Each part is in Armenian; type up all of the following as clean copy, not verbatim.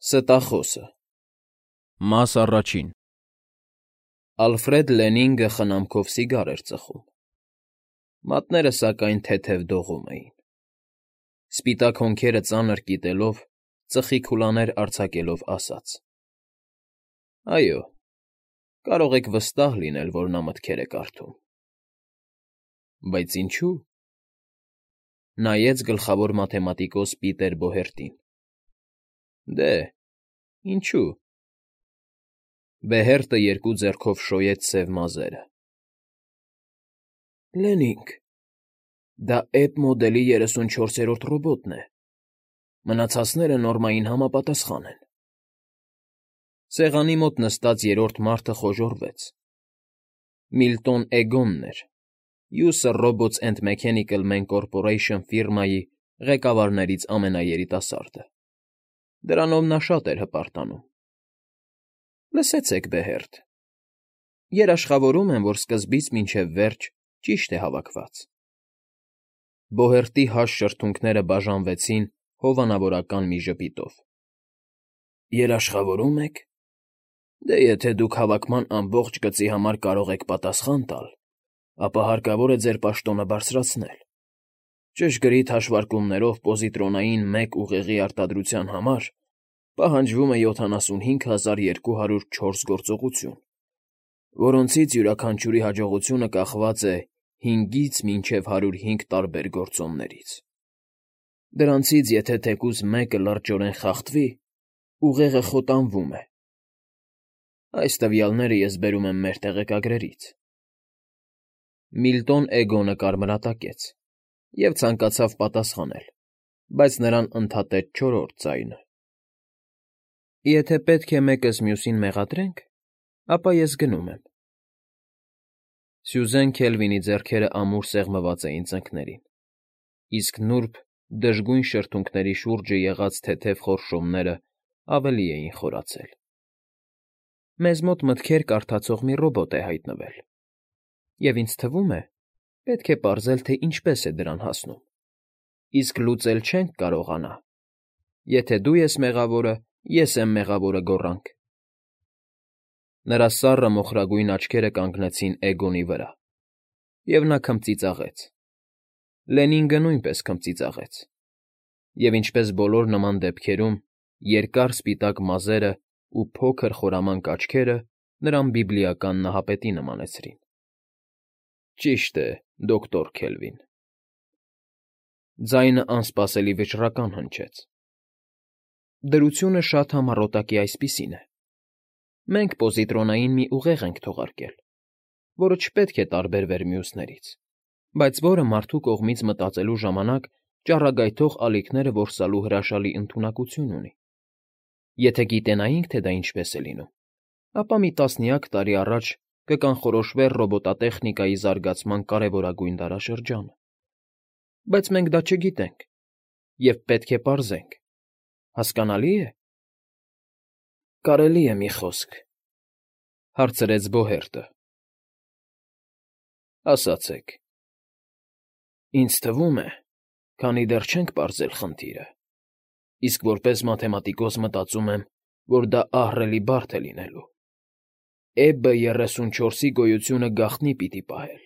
Ստախոսը Մաս առաջին Ալֆրեդ Լենինգը խնամքով սիգար էր ծխում։ Մատները, սակայն, թեթև դողում էին։ Սպիտակ հոնքերը ծանր կիտելով, ծխի քուլաներ արձակելով ասաց. «Այո, կարող եք վստահ լինել, որ նա մտքեր է կարդում»։ Բայց ինչու՞։ Նայեց գլխավոր մաթեմատիկոս Պիտեր Բոհերտին։ Դե, ինչու՞։ Բեհերտը երկու ձեռքով շոյեց սև մազերը։ Լենինգ, դա Էբ մոդելի 34-րդ ռոբոտն է։ Մնացածները նորմային համապատասխան են։ Սեղանի մոտ նստած երրորդ մարդը խոժոռվեց։ Միլտոն Էգոնն էր, User Robots and Mechanical Man Corporation ֆիրմայի ղեկավարներից ամենաերիտասարդը։ Դրանով նա շատ էր հպարտանում։ Լսեցեք, Բեհերտ, երաշխավորում եմ, որ սկզբից մինչև վերջ ճիշտ է հավաքված։ Բոհերտի հաստ շրթունքները բաժանվեցին հովանավորական մի ժպիտով։ Երաշխավորում եք։ Դե եթե դուք հավաքման ամբողջ գծի համար կարող եք պատասխան տալ, ապա հարկավոր է ձեր պաշտոնը բարձրացնել։ Ճշգրիտ հաշվարկումներով պոզիտրոնային մեկ ուղեղի արտադրության համար պահանջվում է 75204 գործողություն, որոնցից յուրաքանչյուրի հաջողությունը կախված է 5-ից մինչև 105 տարբեր գործոններից։ Դրանցից եթե թեկուզ մեկը լրջորեն խախտվի, ուղեղը խոտանվում է։ Այս տվյալները ես բերում եմ մեր տեղեկագրերից։ Միլտոն Էգոնը կարմրատակեց և ցանկացավ պատասխանել, բայց նրան ընդհատեց չորրորդ ձայնը։ Եթե պետք է մեկս մյուսին մեղադրենք, ապա ես գնում եմ։ Սյուզեն Քելվինի ձեռքերը ամուր սեղմված էին ծնկներին, իսկ նուրբ, դժգույն շրթունքների շուրջը եղած թեթև խորշոմները ավելի էին խորացել։ Մեզ մոտ մտքեր կարդացող մի ռոբոտ է հայտնվել, և ինձ թվում է, պետք է պարզել, թե ինչպես է դրան հասնում, իսկ լուծել չենք կարողանա, եթե դու ես մեղավորը, ես եմ մեղավորը գոռանք։ Նրա սառը մոխրագույն աչքերը կանգնեցին Էգոնի վրա, և նա քմծիծաղեց։ Լենինգը նույնպես քմծիծաղեց, և ինչպես բոլոր նման դեպքերում, երկար սպիտակ մազերը ու փոքր խորամանկ աչքերը նրան բիբլիական նահապետի նմանեցրին։ Ճիշտ է, դոկտոր Քելվին։ Ձայնը անսպասելի վճռական հնչեց։ Դրությունը շատ համառոտակի այսպիսին է. մենք պոզիտրոնային մի ուղեղ ենք թողարկել, որը չպետք է տարբերվեր մյուսներից, բայց որը մարդու կողմից մտածելու ժամանակ ճառագայթող ալիքները որսալու հրաշալի ընդունակություն ունի։ Եթե գիտենայինք, թե դա ինչպես է լինում, ապա մի տասնյակ տարի առաջ կկանխորոշվեր ռոբոտատեխնիկայի զարգացման կարևորագույն դարաշրջանը։ Բայց մենք դա չգիտենք, և պետք է պարզենք։ Հասկանալի է։ Կարելի է մի խոսք, հարցրեց Բոհերտը։ Ասացեք։ Ինձ թվում է, քանի դեռ չենք պարզել խնդիրը, իսկ որպես մաթեմատիկոս մտածում եմ, որ դա ահռելի բարդ է լինելու։ Էբը 34-ի գոյությունը գաղտնի պիտի պահել։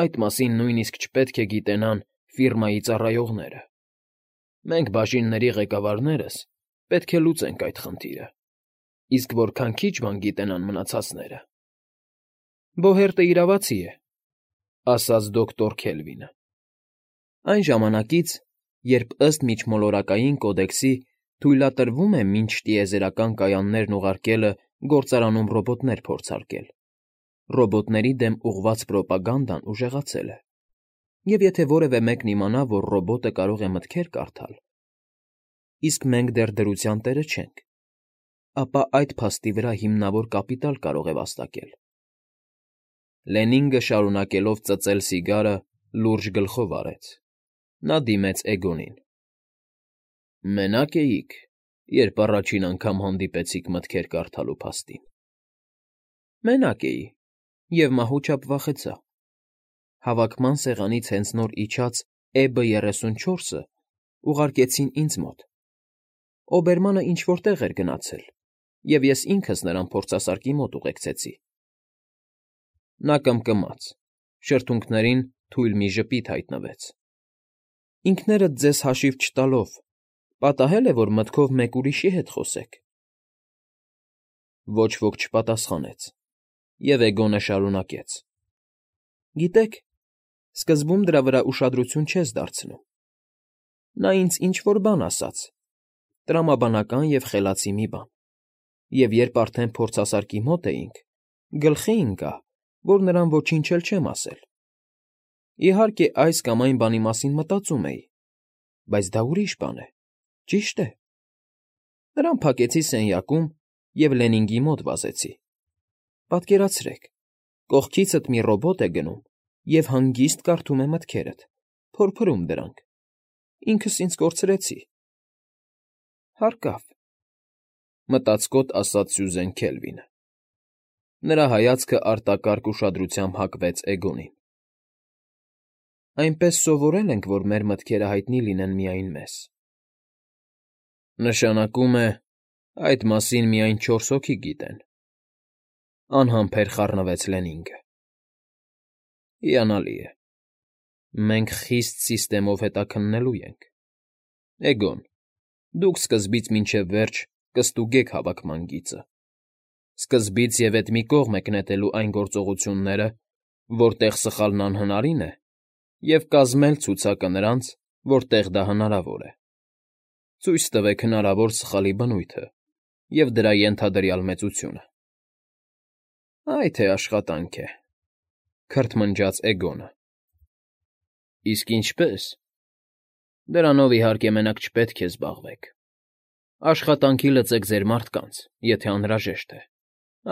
Այդ մասին նույնիսկ չպետք է գիտենան ֆիրմայի ծառայողները։ Մենք բաժինների ղեկավարներս պետք է լուծենք այդ խնդիրը, իսկ որքան քիչ բան գիտենան մնացածները։ Բոհերտը իրավացի է, ասաց դոկտոր Քելվինը։ Այն ժամանակից, երբ ըստ Միջմոլորակային կոդեքսի թույլատրվում է մինչ տիեզերական կայաններն ուղարկելը գործարանում ռոբոտներ փորձարկել, ռոբոտների դեմ ուղղված պրոպագանդան ուժեղացել է, և եթե որևէ մեկն իմանա, որ ռոբոտը կարող է մտքեր կարդալ, իսկ մենք դեռ դրության տերը չենք, ապա այդ փաստի վրա հիմնավոր կապիտալ կարող է վաստակել։ Լենինգը շարունակելով ծծել սիգարը, լուրջ գլխով արեց։ Նա դիմեց Էգոնին։ Մենա՞կ էիք, երբ առաջին անգամ հանդիպեցիք մտքեր կարդալու փաստին։ Մենակ էի, և մահուճապ վախեցա։ Հավաքման սեղանից հենց նոր իջած Էբը 34-ը ուղարկեցին ինձ մոտ։ Օբերմանը ինչ֊որ տեղ էր գնացել, և ես ինքս նրան փորձասարքի մոտ ուղեկցեցի։ Նա կմկմաց, շրթունքներին թույլ մի ժպիտ հայտնվեց։ Ինքներդ ձեզ հաշիվ չտալով, պատահե՞լ է, որ մտքով մեկ ուրիշի հետ խոսեք։ Ոչ ոք չպատասխանեց, և Էգոնը շարունակեց. Գիտեք, սկզբում դրա վրա ուշադրություն չես դարձնում։ Նա ինձ ինչ֊որ բան ասաց, տրամաբանական և խելացի մի բան, և երբ արդեն փորձասարքի մոտ էինք, գլխի ընկա, որ նրան ոչինչ էլ չեմ ասել։ Իհարկե, այս կամ այն բանի մասին մտածում էի, բայց դա ուրիշ բան է, ճիշտ է։ Նրան փակեցի սենյակում և Լենինգի մոտ վազեցի։ Պատկերացրեք, կողքիցդ մի ռոբոտ է գնում և հանգիստ կարդում է մտքերդ, փորփրում դրանք։ Ինքս ինձ կորցրեցի։ Հարկավ, մտածկոտ ասաց Սյուզեն Քելվինը։ Նրա հայացքը արտակարգ ուշադրությամբ հակվեց Էգոնին։ Այնպես սովորել ենք, որ մեր մտքերը հայտնի լինեն միայն մեզ։ Նշանակում է, այդ մասին միայն 4 հոգի գիտեն, անհամբեր խառնվեց Լենինգը։ Հիանալի է։ Մենք խիստ սիստեմով հետաքննելու ենք։ Էգոն, դուք սկզբից մինչև վերջ կստուգեք հավաքման գիծը։ Սկզբից և էդ մի կողմ եք նետելու այն գործողությունները, որտեղ սխալն անհնարին է, և կազմել ցուցակը նրանց, որտեղ դա հնարավոր է։ Ցույց տվեք հնարավոր սխալի բնույթը և դրա ենթադրյալ մեծությունը։ Այ թե աշխատանք է, քրթմնջաց Էգոնը։ Իսկ ինչպե՞ս։ Դրանով, իհարկե, մենակ չպետք է զբաղվեք։ Աշխատանքի լծեք ձեր մարդկանց, եթե անհրաժեշտ է,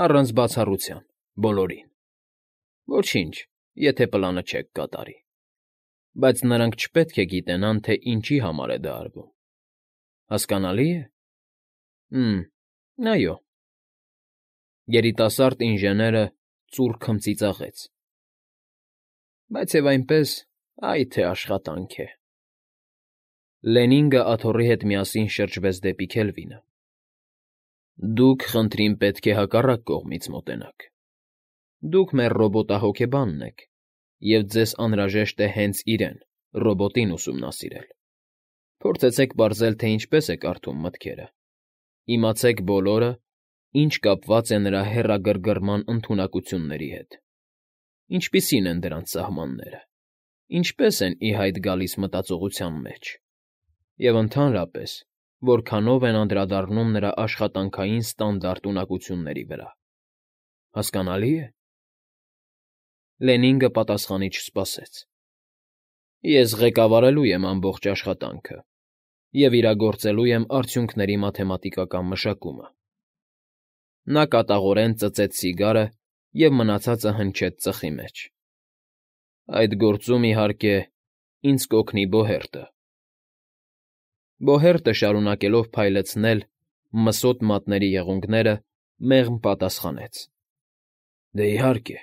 առանց բացառության, բոլորին։ Ոչինչ, եթե պլանը չեք կատարի։ Բայց նրանք չպետք է գիտենան, թե ինչի համար է դա արվում։ Հասկանալի է։ Այո։ Երիտասարդ ինժեները ծուռ քմծիծաղեց։ Բայց և այնպես, այ թե աշխատանք է։ Լենինգը աթոռի հետ միասին շրջվեց դեպի Քելվինը։ Դուք, խնդրին, պետք է հակառակ կողմից մոտենաք։ Դուք մեր ռոբոտահոգեբանն եք, և ձեզ անհրաժեշտ է հենց իրեն, ռոբոտին ուսումնասիրել։ Փորձեցեք պարզել, թե ինչպես է կարդում մտքերը։ Իմացեք բոլորը, ինչ կապված է նրա հեռագրգռման ընդունակությունների հետ։ Ինչպիսի՞ն են դրանց սահմանները, ինչպես են ի հայտ գալիս մտածողության մեջ, և ընդհանրապես, որքանով են անդրադառնում նրա աշխատանքային ստանդարտ ունակությունների վրա։ Հասկանալի է։ Լենինգը պատասխանի չսպասեց։ Ես ղեկավարելու եմ ամբողջ աշխատանքը և իրագործելու եմ արդյունքների մաթեմատիկական մշակումը։ Նա կատաղորեն ծծեց սիգարը և մնացածը հնչեց ծխի մեջ։ Այդ գործում, իհարկե, ինձ կօգնի Բոհերտը։ Բոհերտը, շարունակելով փայլեցնել մսոտ մատների եղունգները, մեղմ պատասխանեց. Դե, իհարկե,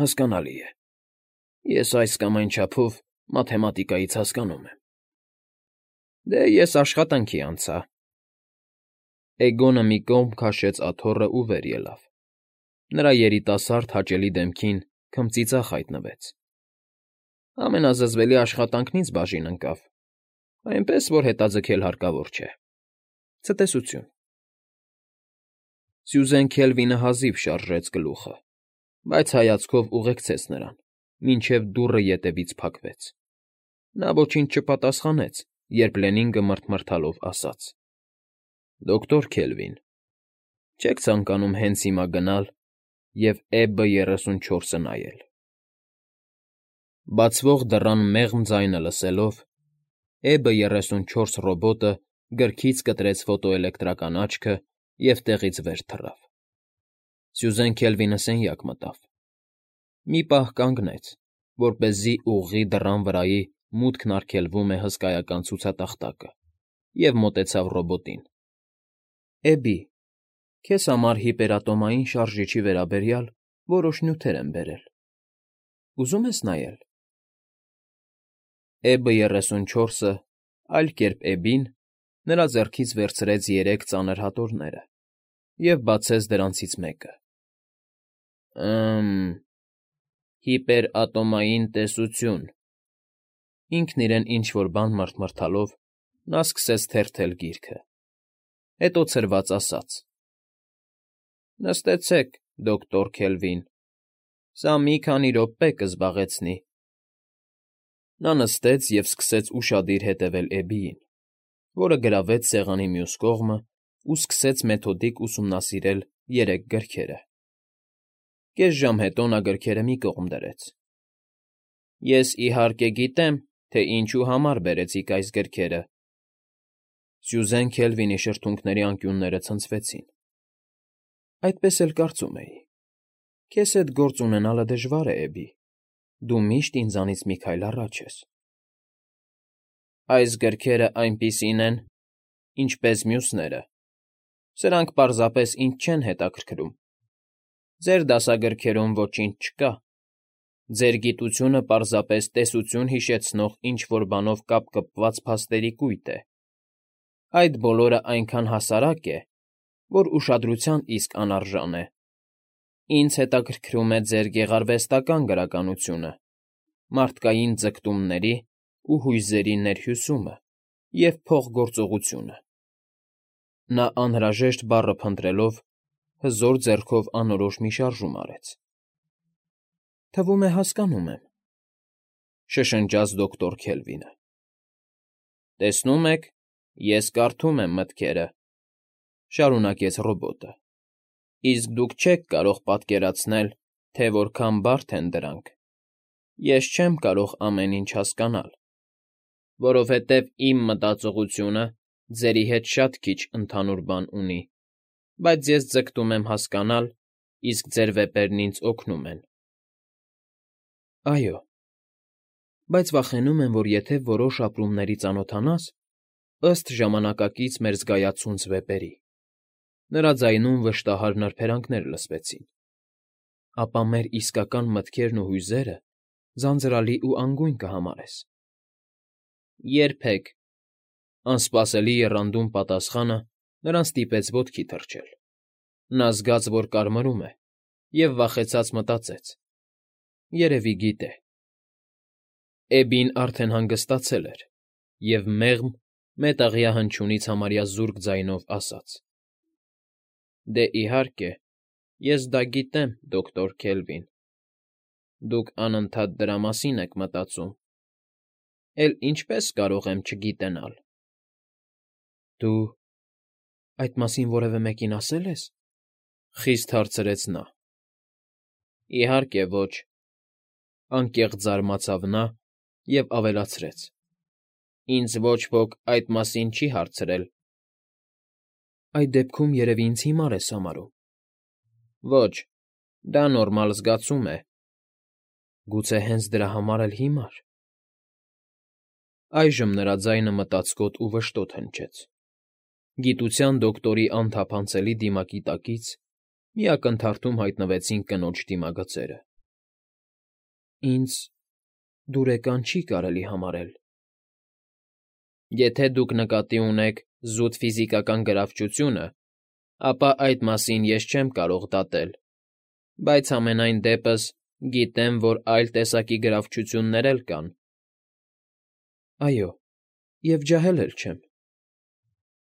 հասկանալի է։ Ես այս կամ այն չափով մաթեմատիկայից հասկանում եմ։ Դե, ես աշխատանքի անցա։ Էգոնը մի կողմ քաշեց աթոռն ու վեր ելավ։ Նրա երիտասարդ հաճելի դեմքին քմծիծաղ հայտնվեց։ Ամենազզվելի աշխատանքն ինձ բաժին ընկավ, այնպես որ հետաձգել հարկավոր չէ։ Ցտեսություն։ Սյուզեն Քելվինը հազիվ շարժեց գլուխը, բայց հայացքով ուղեկցեց նրան, մինչև դուռը ետևից փակվեց։ Նա ոչինչ չպատասխանեց, երբ Լենինգը մռթմռթալով ասաց. Դոկտոր Քելվին, չեք ցանկանում հենց հիմա գնալ և EB-34-ը նայել։ Բացվող դռան մեղմ ձայնը լսելով, EB-34 ռոբոտը գրքից կտրեց ֆոտոէլեկտրական աչքը և տեղից վեր թռավ։ Սյուզեն Քելվինը սենյակ մտավ։ Մի պահ կանգնեց, որպեսզի ուղղի դռան վրայի «Մուտքն արգելվում է» հսկայական ցուցատախտակը, և մոտեցավ ռոբոտին։ Էբի, քեզ համար հիպերատոմային շարժիչի վերաբերյալ որոշ նյութեր եմ բերել։ Ուզում ես նայել։ EB-34-ը, այլ կերպ Էբին, Նրա ձեռքից վերցրեց 3 ծանր հատորները և բացեց դրանցից մեկը։ Հիպերատոմային տեսություն։ Ինքն իրեն ինչ֊որ բան մռթմռթալով նա սկսեց թերթել գիրքը, հետո ցրված ասաց. «Նստեցեք, դոկտոր Քելվին, սա մի քանի րոպե կզբաղեցնի»։ Նա նստեց և սկսեց ուշադիր հետևել Էբիին, որը գրավեց սեղանի մյուս կողմը ու սկսեց մեթոդիկ ուսումնասիրել 3 գրքերը։ Կես ժամ հետո նա գրքերը մի կողմ դրեց։ «Ես, իհարկե, գիտեմ, թե ինչու համար բերեցիք այս գրքերը»։ Սյուզեն Քելվինի շրթունքների անկյունները ցնցվեցին։ «Այդպես էլ կարծում էի։ Քեզ հետ գործ ունենալը դժվար է, Էբի, դու միշտ ինձանից մի քայլ առաջ ես»։ «Այս գրքերը այնպիսին են, ինչպես մյուսները. սրանք պարզապես ինձ չեն հետաքրքրում։ Ձեր դասագրքերում ոչինչ չկա։ Ձեր գիտությունը պարզապես տեսություն հիշեցնող ինչ֊որ բանով կապկպված փաստերի կույտ է։ Այդ բոլորը այնքան հասարակ է, որ ուշադրության իսկ անարժան է։ Ինձ հետաքրքրում է ձեր գեղարվեստական գրականությունը, մարդկային ձգտումների ու հույզերի ներհյուսումը և փոխգործողությունը»։ Նա անհրաժեշտ բառը փնտրելով հզոր ձեռքով անորոշ մի շարժում արեց։ «Թվում է, հասկանում եմ», շշնջաց դոկտոր Քելվինը։ «Տեսնում եք, ես կարդում եմ մտքերը», շարունակեց ռոբոտը, «իսկ դուք չեք կարող պատկերացնել, թե որքան բարդ են դրանք։ Ես չեմ կարող ամեն ինչ հասկանալ, որովհետև իմ մտածողությունը ձերի հետ շատ քիչ ընդհանուր բան ունի, բայց ես ձգտում եմ հասկանալ, իսկ ձեր վեպերն ինձ օգնում են»։ «Այո, բայց վախենում եմ, որ եթե որոշ ապրումների ծանոթանաս, ըստ ժամանակակից մեր զգայացունց վեպերի», նրա ձայնում վշտահար նրբերանգներ լսվեցին, «ապա մեր իսկական մտքերն ու հույզերը ձանձրալի ու անգույն կհամարես»։ «Երբեք», անսպասելի եռանդուն պատասխանը նրան ստիպեց ոտքի թռչել։ Նա զգաց, որ կարմրում է, և վախեցած մտածեց. երևի գիտե։ Էբին արդեն հանգստացել էր և մեղմ, մետաղյա հնչյունից համարյա զուրկ ձայնով ասաց. «Դե, իհարկե, ես դա գիտեմ, դոկտոր Քելվին։ Դուք անընդհատ դրա մասին եք մտածում։ Էլ ինչպե՞ս կարող եմ չգիտենալ»։ «Դու այդ մասին որևէ մեկին ասել ես»։ Խիստ հարցրեց նա։ «Իհարկե ոչ», անկեղծ զարմացավ նա և ավելացրեց. «Ինձ ոչ ոք այդ մասին չի հարցրել»։ «Այդ դեպքում երևի ինձ հիմար ես համարում»։ «Ոչ, դա նորմալ զգացում է»։ «Գուցե հենց դրա համար էլ հիմար»։ Այժմ նրա ձայնը մտածկոտ ու վշտոտ հնչեց։ Գիտության դոկտորի անթափանցելի դիմակի տակից մի ակնթարթում հայտնվեցին կնոջ դիմագծերը։ «Ինձ դուրեկան չի կարելի համարել»։ «Եթե դուք նկատի ունեք զուտ ֆիզիկական գրավչությունը, ապա այդ մասին ես չեմ կարող դատել, բայց համենայն դեպս գիտեմ, որ այլ տեսակի գրավչություններ էլ կան»։ «Այո, և ջահել էլ չեմ»։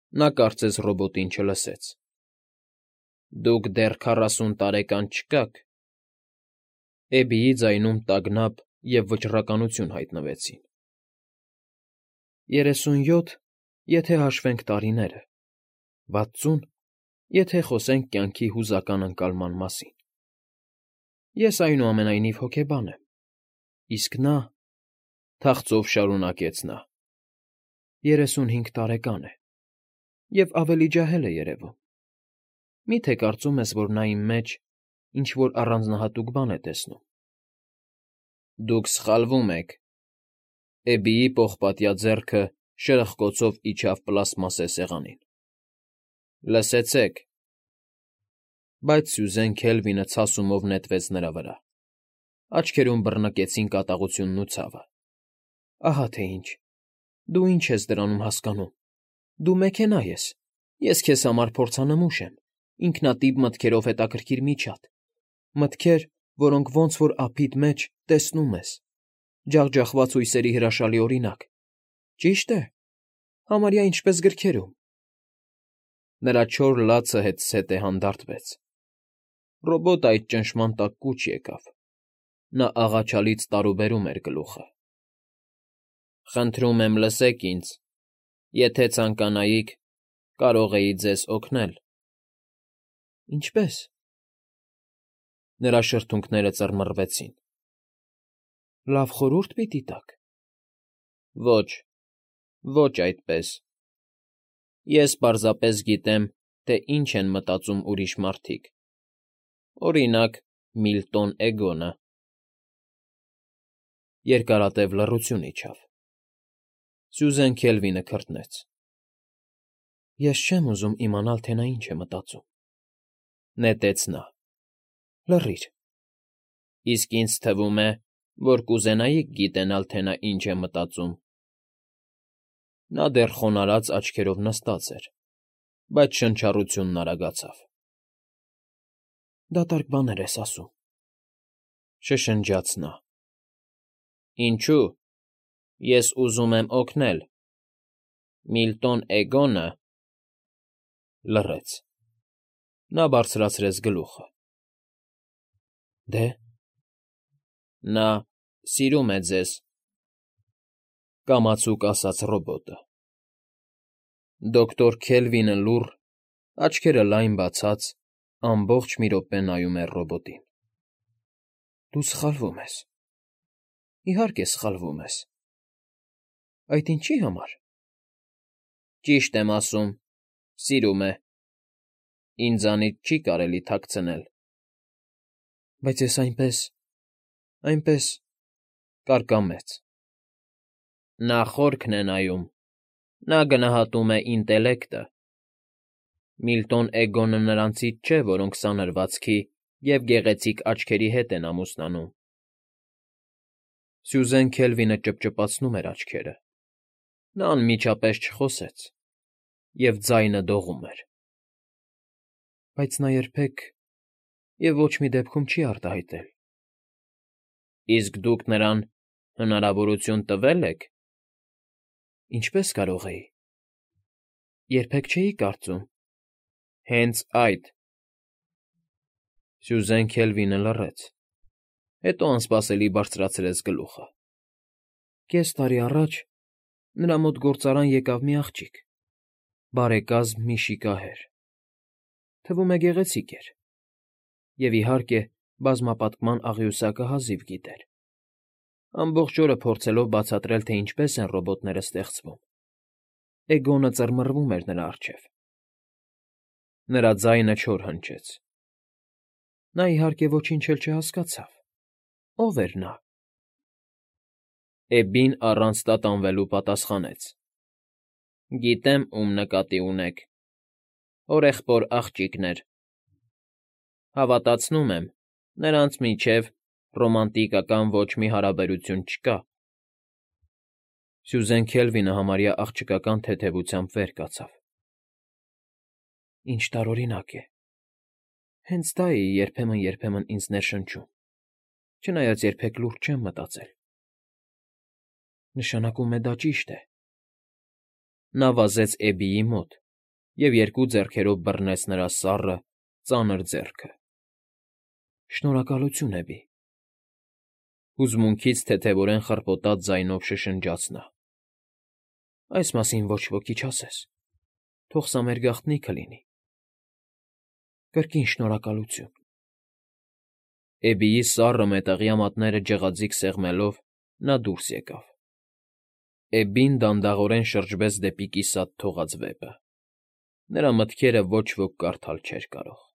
Նա կարծես ռոբոտին չլսեց։ «Դուք դեռ 40 տարեկան չկաք»։ Էբիի ձայնում տագնապ և վճռականություն հայտնվեցին։ 37, եթե հաշվենք տարիները, 60, եթե խոսենք կյանքի հուզական ընկալման մասին։ Ես, այնուամենայնիվ, հոգեբան եմ, իսկ նա, թախծով շարունակեց նա, 35 տարեկան է և ավելի ջահել է երևում։ Մի՞թե կարծում ես, որ նա իմ մեջ ինչ֊որ առանձնահատուկ բան է տեսնում։ Դուք սխալվում եք։ Էբիի պողպատյա ձեռքը շրխկոցով իջավ պլաստմասե սեղանին։ Լսեցեք։ Բայց Սյուզեն Քելվինը ցասումով նետվեց նրա վրա։ Աչքերում բռնկեցին կատաղությունն ու ցավը։ Ահա թե ինչ։ Դու ինչ ես դրանում հասկանում։ Դու մեքենա ես, ես քեզ համար փորձանմուշ եմ, ինքնատիպ մտքերով հետաքրքիր միջատ, մտքեր, որոնք ոնց որ ափիդ մեջ տեսնում ես, ջախջախված հույսերի հրաշալի օրինակ, ճի՞շտ է, համարյա ինչպես գրքերում։ Նրա չոր լացը հետզհետե հանդարտվեց։ Ռոբոտը այդ ճնշման տակ կուչ եկավ։ Նա աղաչալից տարուբերում էր գլուխը։ Խնդրում եմ, լսեք ինձ, եթե ցանկանայիք, կարող էի ձեզ օգնել։ Ինչպե՞ս։ Նրա շրթունքները ծռմռվեցին։ Լավ խորհուրդ պիտի տաք։ Ոչ, ոչ այդպես։ Ես պարզապես գիտեմ, թե ինչ են մտածում ուրիշ մարդիկ։ Օրինակ, Միլտոն Էգոնը։ Երկարատև լռություն իջավ։ Սյուզեն Քելվինը քրտնեց։ Ես չեմ ուզում իմանալ, թե նա ինչ է մտածում։ Նետեց նա։ Լռիր։ Իսկ ինձ թվում է, որ կուզենայիք գիտենալ, թե նա ինչ է մտածում։ Նա դեռ խոնարհած աչքերով նստած էր, բայց շնչառությունն արագացավ։ Դատարկ բաներ ես ասում, շշնջաց նա։ Ինչու՞։ Ես ուզում եմ օգնել։ Միլտոն Էգոնը… Լռեց։ Նա բարձրացրեց գլուխը։ Դե… Նա սիրում է ձեզ, կամացուկ ասաց ռոբոտը։ Դոկտոր Քելվինը լուռ, աչքերը լայն բացած, ամբողջ մի րոպե նայում էր ռոբոտին։ Դու սխալվում ես։ Իհարկե սխալվում ես։ Այդ ինչի համար։ Ճիշտ եմ ասում, սիրում է։ Ինձանից չի կարելի թաքցնել։ Բայց ես այնպես կարկամեց։ Նա խորքն է նայում, նա գնահատում է ինտելեկտը։ Միլտոն Էգոնը նրանցից չէ, որոնք սանրվածքի և գեղեցիկ աչքերի հետ են ամուսնանում։ Սյուզեն Քելվինը ճպճպացնում էր աչքերը։ Նա անմիջապես չխոսեց, և ձայնը դողում էր։ Բայց նա երբեք և ոչ մի դեպքում չի արտահայտել։ Իսկ դուք նրան հնարավորություն տվե՞լ եք։ Ինչպես կարող էի։ Երբեք չէի կարծում։ Հենց այդ։ Սյուզեն Քելվինը լռեց, հետո անսպասելի բարձրացրեց գլուխը։ Կես տարի առաջ նրա մոտ գործարան եկավ մի աղջիկ, բարեկազմ մի շիկահեր։ Թվում է գեղեցիկ էր։ Եվ, իհարկե, բազմապատկման աղյուսակը հազիվ գիտեր։ Ամբողջ օրը փորձելով բացատրել, թե ինչպես են ռոբոտները ստեղծվում, Էգոնը ծռմռվում էր նրա առջև։ Նրա ձայնը չոր հնչեց։ Նա, իհարկե, ոչինչ էլ չհասկացավ։ Ո՞վ էր նա։ Էբբին առանց տատանվելու պատասխանեց. Գիտեմ, ում նկատի ունեք։ Հորեղբոր աղջիկներ։ Հավատացնում եմ, նրանց միջև ռոմանտիկական ոչ մի հարաբերություն չկա։ Սյուզեն Քելվինը համարյա աղջկական թեթևությամբ վեր կացավ։ Ինչ տարօրինակ է։ Հենց դա է երբեմն ինձ ներշնչում, չնայած երբեք լուրջ չեմ մտածել։ Նշանակում է դա ճիշտ է։ Նա վազեց Էբբիի մոտ և երկու ձեռքերով բռնեց նրա սառը, ծանր ձեռքը։ Շնորհակալություն, Էբբի։ Հուզմունքից թեթևորեն խռպոտած ձայնով շշնջաց նա։ Այս մասին ոչ ոքի չասես։ Թող սա մեր գաղտնիքը լինի։ Կրկին շնորհակալություն։ Էբբիի սառը մետաղյա մատները ջղաձիգ սեղմելով՝ նա դուրս եկավ։ Էբբին դանդաղորեն շրջվեց դեպի կիսատ թողած վեպը։ Նրա մտքերը ոչ ոք կարդալ չէր կարող։